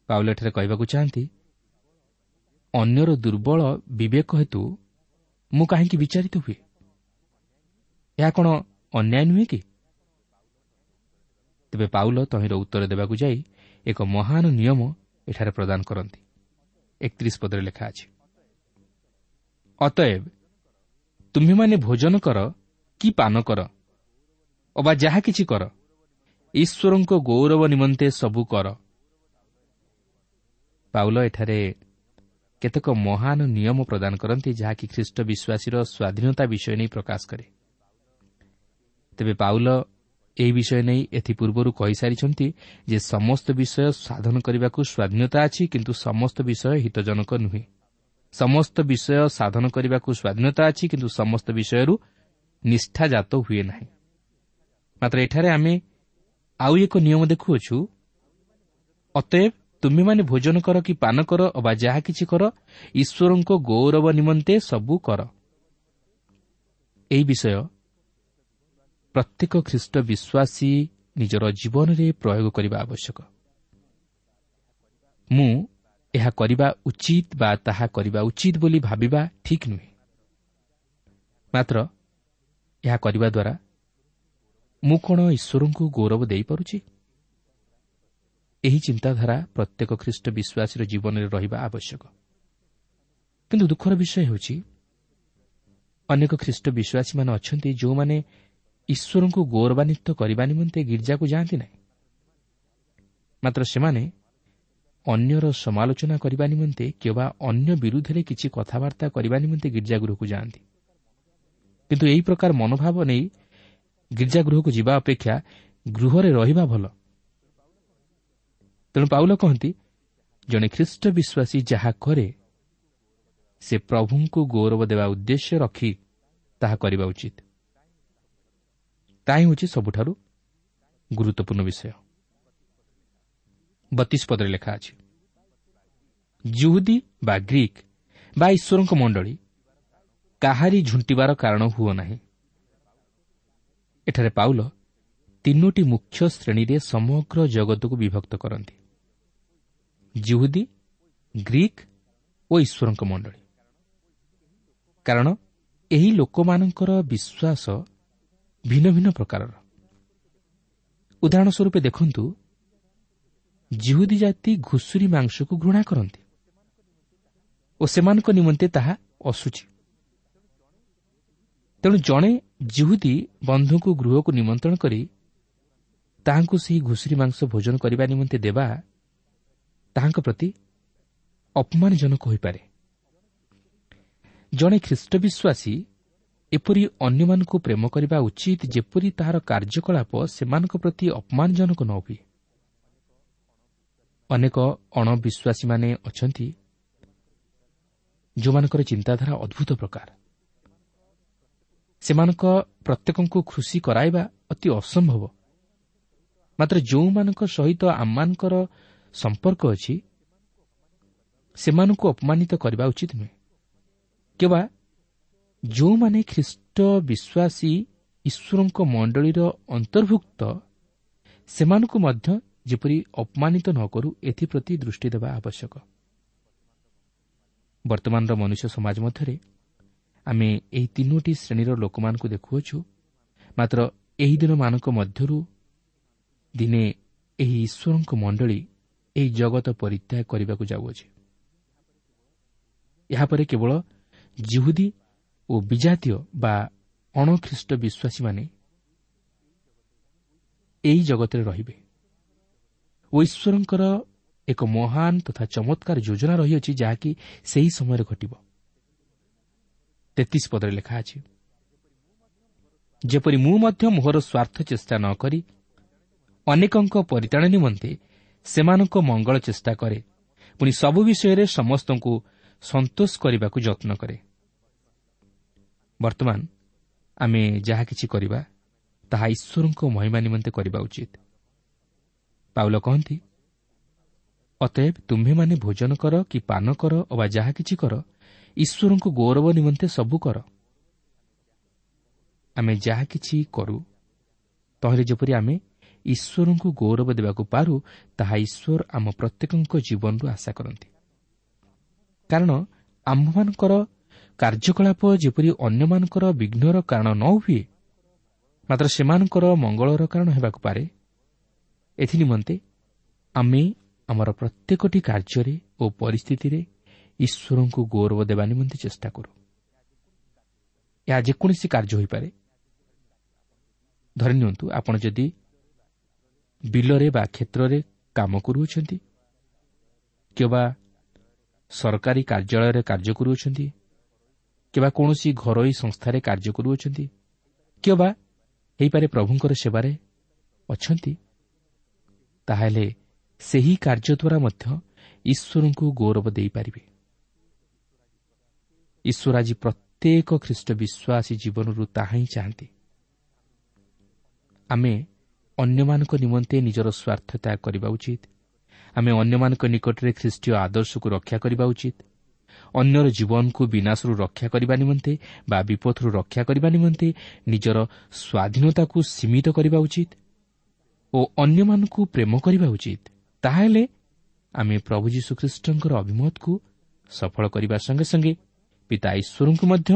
ପାଉଲ ଏଠାରେ କହିବାକୁ ଚାହାନ୍ତି, ଅନ୍ୟର ଦୁର୍ବଳ ବିବେକ ହେତୁ ମୁଁ କାହିଁକି ବିଚାରିତ ହୁଏ? ଏହା କ'ଣ ଅନ୍ୟାୟ ନୁହେଁ କି? ତେବେ ପାଉଲ ତହିଁର ଉତ୍ତର ଦେବାକୁ ଯାଇ ଏକ ମହାନ ନିୟମ ଏଠାରେ ପ୍ରଦାନ କରନ୍ତି। 31 ପଦରେ ଲେଖା ଅଛି, ଅତଏବ ତୁମ୍ଭେମାନେ ଭୋଜନ କର କି ପାନ କର ଅବା ଯାହା କିଛି କର, ଈଶ୍ୱରଙ୍କ ଗୌରବ ନିମନ୍ତେ ସବୁ କର। ପାଉଲ ଏଠାରେ କେତେକ ମହାନ ନିୟମ ପ୍ରଦାନ କରନ୍ତି, ଯାହାକି ଖ୍ରୀଷ୍ଟ ବିଶ୍ୱାସୀର ସ୍ୱାଧୀନତା ବିଷୟ ନେଇ ପ୍ରକାଶ କରେ। ତେବେ ପାଉଲ ଏହି ବିଷୟ ନେଇ ଏଥିପୂର୍ବରୁ କହିସାରିଛନ୍ତି ଯେ ସମସ୍ତ ବିଷୟ ସାଧନ କରିବାକୁ ସ୍ୱାଧୀନତା ଅଛି, କିନ୍ତୁ ସମସ୍ତ ବିଷୟ ହିତଜନକ ନୁହେଁ। ସମସ୍ତ ବିଷୟ ସାଧନ କରିବାକୁ ସ୍ୱାଧୀନତା ଅଛି, କିନ୍ତୁ ସମସ୍ତ ବିଷୟରୁ ନିଷ୍ଠାଜାତ ହୁଏ ନାହିଁ। ମାତ୍ର ଏଠାରେ ଆମେ ଆଉ ଏକ ନିୟମ ଦେଖୁଅଛୁ, ଅତଏବ ତୁମ୍ଭେମାନେ ଭୋଜନ କର କି ପାନ କର ଅବା ଯାହା କିଛି କର, ଈଶ୍ୱରଙ୍କ ଗୌରବ ନିମନ୍ତେ ସବୁ କର। ଏହି ବିଷୟ ପ୍ରତ୍ୟେକ ଖ୍ରୀଷ୍ଟ ବିଶ୍ୱାସୀ ନିଜର ଜୀବନରେ ପ୍ରୟୋଗ କରିବା ଆବଶ୍ୟକ। ମୁଁ ଏହା କରିବା ଉଚିତ ବା ତାହା କରିବା ଉଚିତ ବୋଲି ଭାବିବା ଠିକ୍ ନୁହେଁ। ମାତ୍ର ଏହା କରିବା ଦ୍ୱାରା ମୁଁ କ'ଣ ଈଶ୍ୱରଙ୍କୁ ଗୌରବ ଦେଇପାରୁଛି? ଏହି ଚିନ୍ତାଧାରା ପ୍ରତ୍ୟେକ ଖ୍ରୀଷ୍ଟ ବିଶ୍ୱାସୀର ଜୀବନରେ ରହିବା ଆବଶ୍ୟକ। କିନ୍ତୁ ଦୁଃଖର ବିଷୟ ହେଉଛି, ଅନେକ ଖ୍ରୀଷ୍ଟ ବିଶ୍ୱାସୀମାନେ ଅଛନ୍ତି ଯେଉଁମାନେ ଈଶ୍ୱରଙ୍କୁ ଗୌରବାନ୍ୱିତ କରିବା ନିମନ୍ତେ ଗିର୍ଜାକୁ ଯାଆନ୍ତି ନାହିଁ, ମାତ୍ର ସେମାନେ ଅନ୍ୟର ସମାଲୋଚନା କରିବା ନିମନ୍ତେ କିମ୍ବା ଅନ୍ୟ ବିରୁଦ୍ଧରେ କିଛି କଥାବାର୍ତ୍ତା କରିବା ନିମନ୍ତେ ଗିର୍ଜାଗୃହକୁ ଯାଆନ୍ତି। କିନ୍ତୁ ଏହି ପ୍ରକାର ମନୋଭାବ ନେଇ ଗିର୍ଜାଗୃହକୁ ଯିବା ଅପେକ୍ଷା ଗୃହରେ ରହିବା ଭଲ। ତେଣୁ ପାଉଲ କହନ୍ତି, ଜଣେ ଖ୍ରୀଷ୍ଟ ବିଶ୍ୱାସୀ ଯାହା କରେ ସେ ପ୍ରଭୁଙ୍କୁ ଗୌରବ ଦେବା ଉଦ୍ଦେଶ୍ୟ ରଖି ତାହା କରିବା ଉଚିତ। ତାହା ହେଉଛି ସବୁଠାରୁ ଗୁରୁତ୍ୱପୂର୍ଣ୍ଣ ବିଷୟ। 32 ପଦରେ ଲେଖା ଅଛି, ଯିହୁଦୀ ବା ଗ୍ରୀକ୍ ବା ଈଶ୍ୱରଙ୍କ ମଣ୍ଡଳୀ କାହାରି ଝୁଣ୍ଟିବାର କାରଣ ହୁଅ ନାହିଁ। ଏଠାରେ ପାଉଲ ତିନୋଟି ମୁଖ୍ୟ ଶ୍ରେଣୀରେ ସମଗ୍ର ଜଗତକୁ ବିଭକ୍ତ କରନ୍ତି, ଯିହୁଦୀ, ଗ୍ରୀକ୍ ଓ ଈଶ୍ୱରଙ୍କ ମଣ୍ଡଳୀ। କାରଣ ଏହି ଲୋକମାନଙ୍କର ବିଶ୍ୱାସ ଭିନ୍ନ ଭିନ୍ନ ପ୍ରକାରର। ଉଦାହରଣ ସ୍ୱରୂପ ଦେଖନ୍ତୁ, ଯିହୁଦୀ ଜାତି ଘୁଷୁରୀ ମାଂସକୁ ଘୃଣା କରନ୍ତି ଓ ସେମାନଙ୍କ ନିମନ୍ତେ ତାହା ଅଶୁଚି। ତେଣୁ ଜଣେ ଯିହୁଦୀ ବନ୍ଧୁଙ୍କୁ ଗୃହକୁ ନିମନ୍ତ୍ରଣ କରି ତାହାଙ୍କୁ ସେହି ଘୁଷୁରୀ ମାଂସ ଭୋଜନ କରିବା ନିମନ୍ତେ ଦେବା ତାହାଙ୍କ ପ୍ରତି ଅପମାନଜନକ ହୋଇପାରେ। ଜଣେ ଖ୍ରୀଷ୍ଟ ବିଶ୍ୱାସୀ ଏପରି ଅନ୍ୟମାନଙ୍କୁ ପ୍ରେମ କରିବା ଉଚିତ ଯେପରି ତାହାର କାର୍ଯ୍ୟକଳାପ ସେମାନଙ୍କ ପ୍ରତି ଅପମାନଜନକ ନ ହୁଏ। ଅନେକ ଅଣବିଶ୍ୱାସୀମାନେ ଅଛନ୍ତି ଯେଉଁମାନଙ୍କର ଚିନ୍ତାଧାରା ଅଦ୍ଭୁତ ପ୍ରକାର। ସେମାନଙ୍କ ପ୍ରତ୍ୟେକଙ୍କୁ ଖୁସି କରାଇବା ଅତି ଅସମ୍ଭବ। ମାତ୍ର ଯେଉଁମାନଙ୍କ ସହିତ ଆମମାନଙ୍କର ସମ୍ପର୍କ ଅଛି ସେମାନଙ୍କୁ ଅପମାନିତ କରିବା ଉଚିତ ନୁହେଁ, କିମ୍ବା ଯେଉଁମାନେ ଖ୍ରୀଷ୍ଟ ବିଶ୍ୱାସୀ ଈଶ୍ୱରଙ୍କ ମଣ୍ଡଳୀର ଅନ୍ତର୍ଭୁକ୍ତ ସେମାନଙ୍କୁ ମଧ୍ୟ ଯେପରି ଅପମାନିତ ନ କରୁ ଏଥିପ୍ରତି ଦୃଷ୍ଟି ଦେବା ଆବଶ୍ୟକ। ବର୍ତ୍ତମାନର ମନୁଷ୍ୟ ସମାଜ ମଧ୍ୟରେ ଆମେ ଏହି ତିନୋଟି ଶ୍ରେଣୀର ଲୋକମାନଙ୍କୁ ଦେଖୁଅଛୁ। ମାତ୍ର ଏହି ଦିନମାନଙ୍କ ମଧ୍ୟରୁ ଦିନେ ଏହି ଈଶ୍ୱରଙ୍କ ମଣ୍ଡଳୀ ଏହି ଜଗତ ପରିତ୍ୟାଗ କରିବାକୁ ଯାଉଅଛି। ଏହାପରେ କେବଳ ଜିହୁଦୀ ଓ ବିଜାତୀୟ ବା ଅଣଖ୍ରୀଷ୍ଟ ବିଶ୍ୱାସୀମାନେ ଏହି ଜଗତରେ ରହିବେ ଓ ଈଶ୍ୱରଙ୍କର ଏକ ମହାନ ତଥା ଚମତ୍କାର ଯୋଜନା ରହିଅଛି, ଯାହାକି ସେହି ସମୟରେ ଘଟିବ। 33 ପଦରେ ଲେଖା ଅଛି, ଯେପରି ମୁଁ ମଧ୍ୟ ମୋହର ସ୍ୱାର୍ଥ ଚେଷ୍ଟା ନ କରି ଅନେକଙ୍କ ପରିତ୍ରାଣ ନିମନ୍ତେ ସେମାନଙ୍କ ମଙ୍ଗଳ ଚେଷ୍ଟା କରେ, ପୁଣି ସବୁ ବିଷୟରେ ସମସ୍ତଙ୍କୁ ସନ୍ତୋଷ କରିବାକୁ ଯତ୍ନ କରେ। ବର୍ତ୍ତମାନ ଆମେ ଯାହା କିଛି କରିବା ତାହା ଈଶ୍ୱରଙ୍କ ମହିମା ନିମନ୍ତେ କରିବା ଉଚିତ। ପାଉଲ କହନ୍ତି, ଅତଏବ ତୁମ୍ଭେମାନେ ଭୋଜନ କର କି ପାନ କର ଅବା ଯାହା କିଛି କର, ଈଶ୍ୱରଙ୍କୁ ଗୌରବ ନିମନ୍ତେ ସବୁ କର। ଆମେ ଯାହା କିଛି କରୁ ତହିଁରେ ଯେପରି ଆମେ ଈଶ୍ୱରଙ୍କୁ ଗୌରବ ଦେବାକୁ ପାରୁ, ତାହା ଈଶ୍ୱର ଆମ ପ୍ରତ୍ୟେକଙ୍କ ଜୀବନରୁ ଆଶା କରନ୍ତି। କାରଣ ଆମ୍ଭମାନଙ୍କର କାର୍ଯ୍ୟକଳାପ ଯେପରି ଅନ୍ୟମାନଙ୍କର ବିଘ୍ନର କାରଣ ନ ହୁଏ, ମାତ୍ର ସେମାନଙ୍କର ମଙ୍ଗଳର କାରଣ ହେବାକୁ ପାରେ, ଏଥିନିମନ୍ତେ ଆମେ ଆମର ପ୍ରତ୍ୟେକଟି କାର୍ଯ୍ୟରେ ଓ ପରିସ୍ଥିତିରେ ଈଶ୍ୱରଙ୍କୁ ଗୌରବ ଦେବା ନିମନ୍ତେ ଚେଷ୍ଟା କରୁ। ଏହା ଯେକୌଣସି କାର୍ଯ୍ୟ ହୋଇପାରେ। ଧରିନିଅନ୍ତୁ, ଆପଣ ଯଦି ବିଲରେ ବା କ୍ଷେତ୍ରରେ କାମ କରୁଅଛନ୍ତି କିମ୍ବା ସରକାରୀ କାର୍ଯ୍ୟାଳୟରେ କାର୍ଯ୍ୟ କରୁଅଛନ୍ତି କିମ୍ବା କୌଣସି ଘରୋଇ ସଂସ୍ଥାରେ କାର୍ଯ୍ୟ କରୁଅଛନ୍ତି କିମ୍ବା ହୋଇପାରେ ପ୍ରଭୁଙ୍କର ସେବାରେ ଅଛନ୍ତି, ତାହେଲେ ସେହି କାର୍ଯ୍ୟ ଦ୍ୱାରା ମଧ୍ୟ ଈଶ୍ୱରଙ୍କୁ ଗୌରବ ଦେଇପାରିବେ। ଈଶ୍ୱର ଆଜି ପ୍ରତ୍ୟେକ ଖ୍ରୀଷ୍ଟ ବିଶ୍ୱାସୀ ଜୀବନରୁ ତାହା ହିଁ ଚାହାନ୍ତି। ଆମେ ଅନ୍ୟମାନଙ୍କ ନିମନ୍ତେ ନିଜର ସ୍ୱାର୍ଥ ତ୍ୟାଗ କରିବା ଉଚିତ। ଆମେ ଅନ୍ୟମାନଙ୍କ ନିକଟରେ ଖ୍ରୀଷ୍ଟୀୟ ଆଦର୍ଶକୁ ରକ୍ଷା କରିବା ଉଚିତ। ଅନ୍ୟର ଜୀବନକୁ ବିନାଶରୁ ରକ୍ଷା କରିବା ନିମନ୍ତେ ବା ବିପଦରୁ ରକ୍ଷା କରିବା ନିମନ୍ତେ ନିଜର ସ୍ୱାଧୀନତାକୁ ସୀମିତ କରିବା ଉଚିତ ଓ ଅନ୍ୟମାନଙ୍କୁ ପ୍ରେମ କରିବା ଉଚିତ। ତାହେଲେ ଆମେ ପ୍ରଭୁ ଯୀଶୁଖ୍ରୀଷ୍ଟଙ୍କର ଅଭିମତକୁ ସଫଳ କରିବା ସଙ୍ଗେ ସଙ୍ଗେ ପିତା ଈଶ୍ୱରଙ୍କୁ ମଧ୍ୟ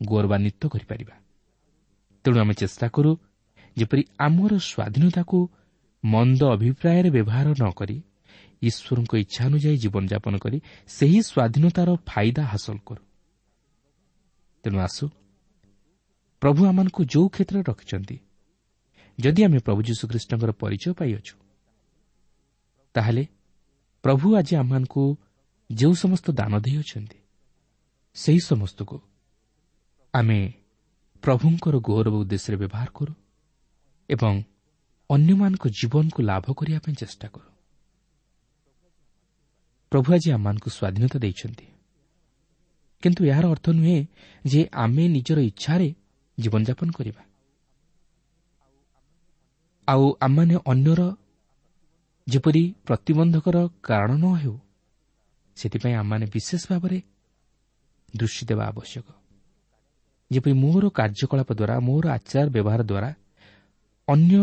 ଗୌରବାନ୍ୱିତ କରିପାରିବା। ତେଣୁ ଆମେ ଚେଷ୍ଟା କରୁ ଯେପରି ଆମର ସ୍ୱାଧୀନତାକୁ ମନ୍ଦ ଅଭିପ୍ରାୟରେ ବ୍ୟବହାର ନ କରି ଈଶ୍ୱରଙ୍କ ଇଚ୍ଛା ଅନୁଯାୟୀ ଜୀବନଯାପନ କରି ସେହି ସ୍ୱାଧୀନତାର ଫାଇଦା ହାସଲ କରୁ। ତେଣୁ ଆସୁ, ପ୍ରଭୁ ଆମମାନଙ୍କୁ ଯେଉଁ କ୍ଷେତ୍ରରେ ରଖିଛନ୍ତି, ଯଦି ଆମେ ପ୍ରଭୁ ଯୀଶୁଖ୍ରୀଷ୍ଟଙ୍କର ପରିଚୟ ପାଇଅଛୁ, ତାହେଲେ ପ୍ରଭୁ ଆଜି ଆମମାନଙ୍କୁ ଯେଉଁ ସମସ୍ତ ଦାନ ଦେଇଅଛନ୍ତି ସେହି ସମସ୍ତକୁ ଆମେ ପ୍ରଭୁଙ୍କର ଗୌରବ ଉଦ୍ଦେଶ୍ୟରେ ବ୍ୟବହାର କରୁ ଏବଂ ଅନ୍ୟମାନଙ୍କ ଜୀବନକୁ ଲାଭ କରିବା ପାଇଁ ଚେଷ୍ଟା କରୁ। ପ୍ରଭୁ ଆଜି ଆମମାନଙ୍କୁ ସ୍ୱାଧୀନତା ଦେଇଛନ୍ତି, କିନ୍ତୁ ଏହାର ଅର୍ଥ ନୁହେଁ ଯେ ଆମେ ନିଜର ଇଚ୍ଛାରେ ଜୀବନଯାପନ କରିବା ଆଉ ଆମମାନେ ଅନ୍ୟର ଯେପରି ପ୍ରତିବନ୍ଧକର କାରଣ ନ ହେଉ ସେଥିପାଇଁ ଆମମାନେ ବିଶେଷ ଭାବରେ ଦୃଷ୍ଟି ଦେବା ଆବଶ୍ୟକ। ଯେପରି ମୋର କାର୍ଯ୍ୟକଳାପ ଦ୍ୱାରା, ମୋର ଆଚାର ବ୍ୟବହାର ଦ୍ୱାରା ଅନ୍ୟ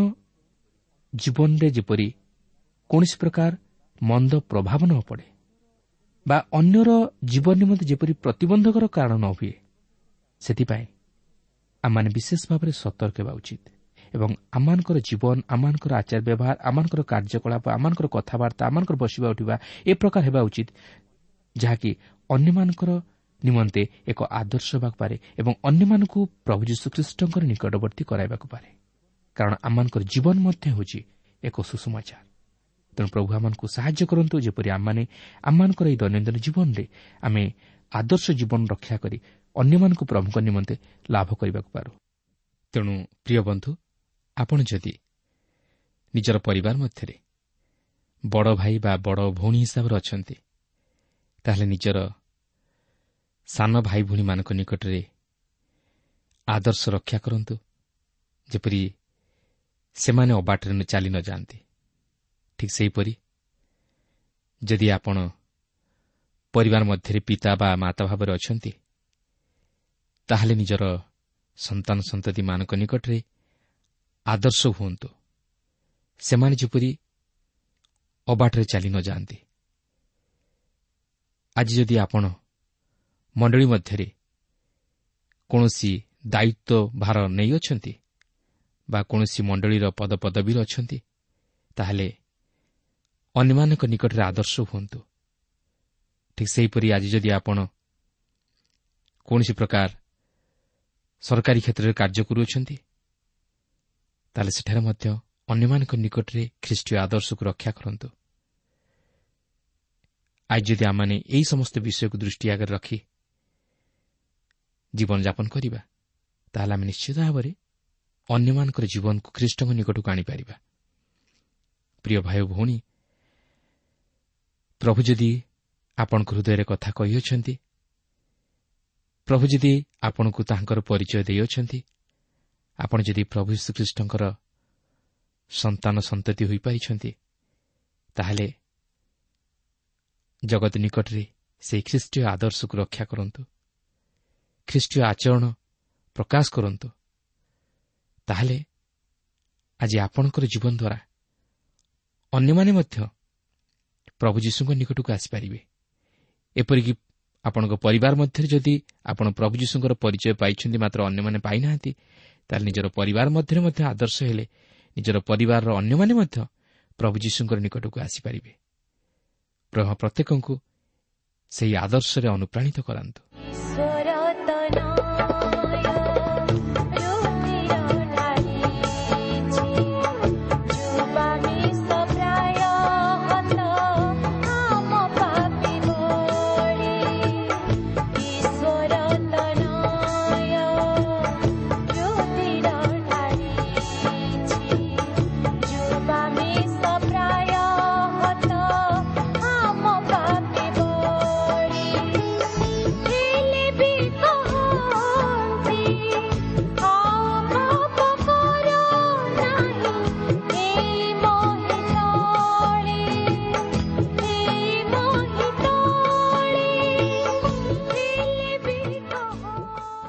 ଜୀବନରେ ଯେପରି କୌଣସି ପ୍ରକାର ମନ୍ଦ ପ୍ରଭାବ ନ ପଡ଼େ ବା ଅନ୍ୟର ଜୀବନ ନିମନ୍ତେ ଯେପରି ପ୍ରତିବନ୍ଧକର କାରଣ ନ ହୁଏ, ସେଥିପାଇଁ ଆମମାନେ ବିଶେଷ ଭାବରେ ସତର୍କ ହେବା ଉଚିତ ଏବଂ ଆମମାନଙ୍କର ଜୀବନ, ଆମମାନଙ୍କର ଆଚାର ବ୍ୟବହାର, ଆମମାନଙ୍କର କାର୍ଯ୍ୟକଳାପ, ଆମମାନଙ୍କର କଥାବାର୍ତ୍ତା, ଆମମାନଙ୍କର ବସିବା ଉଠିବା ଏ ପ୍ରକାର ହେବା ଉଚିତ ଯାହାକି ଅନ୍ୟମାନଙ୍କର ନିମନ୍ତେ ଏକ ଆଦର୍ଶ ହେବାକୁ ପାରେ ଏବଂ ଅନ୍ୟମାନଙ୍କୁ ପ୍ରଭୁ ଯୀଶୁଖ୍ରୀଷ୍ଟଙ୍କର ନିକଟବର୍ତ୍ତୀ କରାଇବାକୁ ପାରେ। କାରଣ ଆମମାନଙ୍କର ଜୀବନ ମଧ୍ୟ ହେଉଛି ଏକ ସୁସମାଚାର। ତେଣୁ ପ୍ରଭୁ ଆମମାନଙ୍କୁ ସାହାଯ୍ୟ କରନ୍ତୁ ଯେପରି ଆମମାନେ ଆମମାନଙ୍କର ଏହି ଦୈନନ୍ଦିନ ଜୀବନରେ ଆମେ ଆଦର୍ଶ ଜୀବନ ରକ୍ଷା କରି ଅନ୍ୟମାନଙ୍କୁ ପ୍ରଭୁଙ୍କ ନିମନ୍ତେ ଲାଭ କରିବାକୁ ପାରୁ। ତେଣୁ ପ୍ରିୟ ବନ୍ଧୁ, ଆପଣ ଯଦି ନିଜର ପରିବାର ମଧ୍ୟରେ ବଡ଼ ଭାଇ ବା ବଡ଼ ଭଉଣୀ ହିସାବରେ ଅଛନ୍ତି, ତାହେଲେ ନିଜର ସାନ ଭାଇ ଭଉଣୀମାନଙ୍କ ନିକଟରେ ଆଦର୍ଶ ରକ୍ଷା କରନ୍ତୁ, ଯେପରି ସେମାନେ ଅବାଟରେ ଚାଲି ନଯାଆନ୍ତି। ଠିକ୍ ସେହିପରି ଯଦି ଆପଣ ପରିବାର ମଧ୍ୟରେ ପିତା ବା ମାତା ଭାବରେ ଅଛନ୍ତି, ତାହେଲେ ନିଜର ସନ୍ତାନ ସନ୍ତତିମାନଙ୍କ ନିକଟରେ ଆଦର୍ଶ ହୁଅନ୍ତୁ, ସେମାନେ ଯେପରି ଅବାଟରେ ଚାଲି ନଯାଆନ୍ତି। ଆଜି ଯଦି ଆପଣ ମଣ୍ଡଳୀ ମଧ୍ୟରେ କୌଣସି ଦାୟିତ୍ୱ ଭାର ନେଇଅଛନ୍ତି ବା କୌଣସି ମଣ୍ଡଳୀର ପଦପଦବୀରେ ଅଛନ୍ତି, ତାହେଲେ ଅନ୍ୟମାନଙ୍କ ନିକଟରେ ଆଦର୍ଶ ହୁଅନ୍ତୁ। ଠିକ୍ ସେହିପରି ଆଜି ଯଦି ଆପଣ କୌଣସି ପ୍ରକାର ସରକାରୀ କ୍ଷେତ୍ରରେ କାର୍ଯ୍ୟ କରୁଅଛନ୍ତି, ତାହେଲେ ସେଠାରେ ମଧ୍ୟ ଅନ୍ୟମାନଙ୍କ ନିକଟରେ ଖ୍ରୀଷ୍ଟୀୟ ଆଦର୍ଶକୁ ରକ୍ଷା କରନ୍ତୁ। ଆଜି ଯଦି ଆମମାନେ ଏହି ସମସ୍ତ ବିଷୟକୁ ଦୃଷ୍ଟି ଆଗରେ ରଖି ଜୀବନଯାପନ କରିବା, ତାହେଲେ ଆମେ ନିଶ୍ଚିତ ଭାବରେ ଅନ୍ୟମାନଙ୍କର ଜୀବନକୁ ଖ୍ରୀଷ୍ଟଙ୍କ ନିକଟକୁ ଆଣିପାରିବା। ପ୍ରିୟ ଭାଇ ଭଉଣୀ, ପ୍ରଭୁ ଯଦି ଆପଣଙ୍କ ହୃଦୟରେ କଥା କହିଅଛନ୍ତି, ପ୍ରଭୁ ଯଦି ଆପଣଙ୍କୁ ତାହାଙ୍କର ପରିଚୟ ଦେଇଅଛନ୍ତି, ଆପଣ ଯଦି ପ୍ରଭୁ ଯୀଶୁଖ୍ରୀଷ୍ଟଙ୍କର ସନ୍ତାନ ସନ୍ତତି ହୋଇପାରିଛନ୍ତି, ତାହେଲେ ଜଗତ ନିକଟରେ ସେହି ଖ୍ରୀଷ୍ଟୀୟ ଆଦର୍ଶକୁ ରକ୍ଷା କରନ୍ତୁ, ଖ୍ରୀଷ୍ଟୀୟ ଆଚରଣ ପ୍ରକାଶ କରନ୍ତୁ। ତାହେଲେ ଆଜି ଆପଣଙ୍କର ଜୀବନ ଦ୍ୱାରା ଅନ୍ୟମାନେ ମଧ୍ୟ ପ୍ରଭୁ ଯୀଶୁଙ୍କ ନିକଟକୁ ଆସିପାରିବେ। ଏପରିକି ଆପଣଙ୍କ ପରିବାର ମଧ୍ୟରେ ଯଦି ଆପଣ ପ୍ରଭୁ ଯୀଶୁଙ୍କର ପରିଚୟ ପାଇଛନ୍ତି ମାତ୍ର ଅନ୍ୟମାନେ ପାଇନାହାନ୍ତି, ତାହେଲେ ନିଜର ପରିବାର ମଧ୍ୟରେ ମଧ୍ୟ ଆଦର୍ଶ ହେଲେ ନିଜର ପରିବାରର ଅନ୍ୟମାନେ ମଧ୍ୟ ପ୍ରଭୁ ଯୀଶୁଙ୍କର ନିକଟକୁ ଆସିପାରିବେ। ପ୍ରଭୁ ପ୍ରତ୍ୟେକଙ୍କୁ ସେହି ଆଦର୍ଶରେ ଅନୁପ୍ରାଣିତ କରାନ୍ତୁ।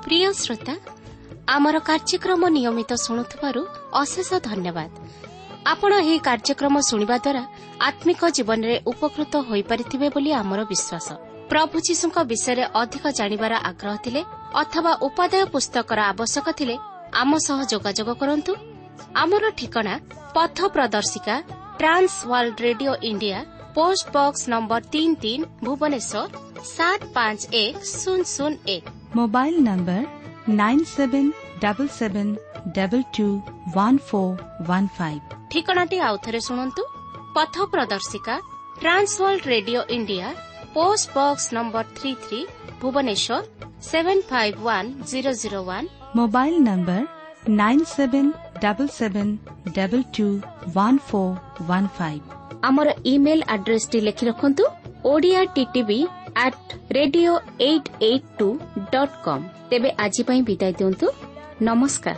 ପ୍ରିୟ ଶ୍ରୋତା, ଆମର କାର୍ଯ୍ୟକ୍ରମ ନିୟମିତ ଶୁଣୁଥିବାରୁ ଅଶେଷ ଧନ୍ୟବାଦ। ଆପଣ ଏହି କାର୍ଯ୍ୟକ୍ରମ ଶୁଣିବା ଦ୍ୱାରା ଆତ୍ମିକ ଜୀବନରେ ଉପକୃତ ହୋଇପାରିଥିବେ ବୋଲି ଆମର ବିଶ୍ୱାସ। ପ୍ରଭୁ ଯୀଶୁଙ୍କ ବିଷୟରେ ଅଧିକ ଜାଣିବାର ଆଗ୍ରହ ଥିଲେ ଅଥବା ଉପାଦେୟ ପୁସ୍ତକର ଆବଶ୍ୟକ ଥିଲେ ଆମ ସହ ଯୋଗାଯୋଗ କରନ୍ତୁ। ଆମର ଠିକଣା ପଥ ପ୍ରଦର୍ଶିକା, Trans World Radio India, post box number 33, Bhubaneswar 751001। Mobile number 9777221415। ଠିକଣାଟି ଆଉଥରେ ଶୁଣନ୍ତୁ। ପଥ ପ୍ରଦର୍ଶିକା, Trans World Radio India, post box number 33, Bhubaneswar 751001। Mobile number 9777221415। ଆମର ଇମେଲ୍ ଆଡ୍ରେସଟି ଲେଖି ରଖନ୍ତୁ: Odia TTV @radio882.com। ତେବେ ଆଜି ପାଇଁ ବିଦାୟ ଦିଅନ୍ତୁ। ନମସ୍କାର।